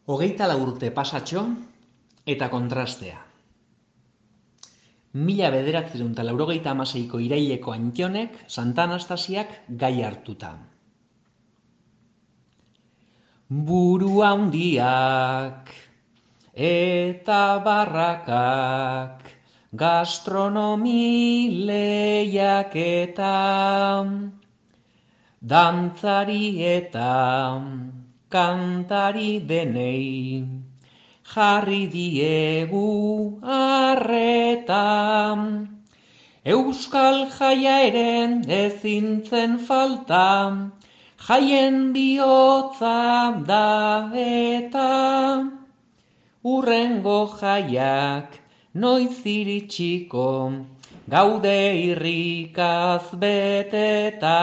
Hogeita urte pasatxo eta kontrastea. 1986ko iraileko Antionek Santa Anastasiak gai hartuta. Buru handiak eta barrakak, gastronomi lehiaketa, dantzari eta kantari denei, jarri diegu arreta. Euskal jaia ere ezin zen falta, jaien bihotza da eta. Hurrengo jaiak noiz iritsiko, gaude irrikaz beteta.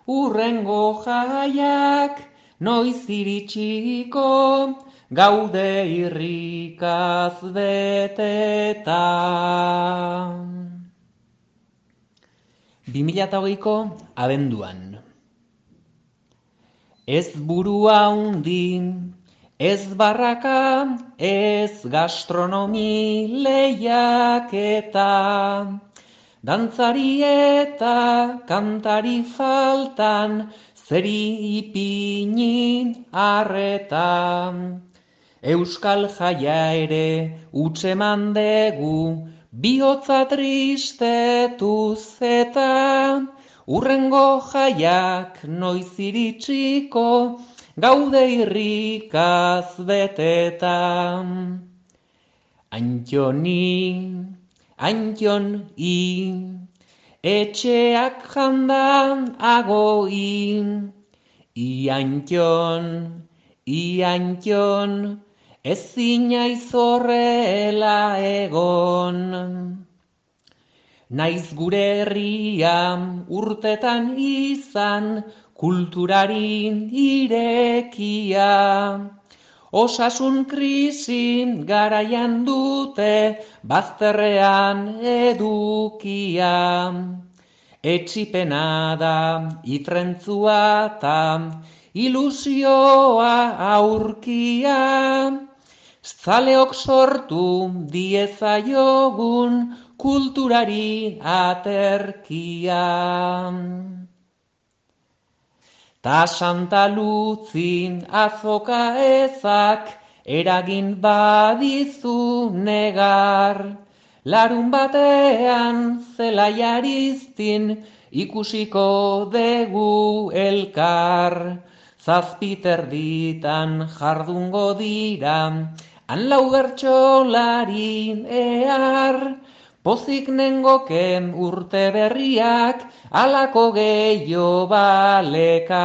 Hurrengo jaiak noiz iritsiko, gaude irrikaz beteta. 2008ko abenduan. Ez burua handi, ez barraka, ez gastronomi lehiaketa, dantzari eta kantari faltan, zeri ipini arreta. Euskal jaia ere utzeman degu, bihotza tristetuz eta. Hurrengo jaiak noiz iritsiko, gaude irrikaz beteta. Antion etxeak jandan agoi. Iantxon, ezin aizorrela egon. Naiz gure herria urtetan izan, kulturari irekia. Osasun krisi garaian dute, bazterrean edukia. Etsipena da itrentzua ta ilusioa aurkia. Zaleok sortu diezaiogun kulturari aterkia. Ta Santa Luzin azoka ezak eragin badizu negar. Larun batean zelaiariztin ikusiko degu elkar. Zazpiterditan jardungo dira, han lau bertsolari ehar. Pozik nengoken urte berriak, alako gehiago balekar.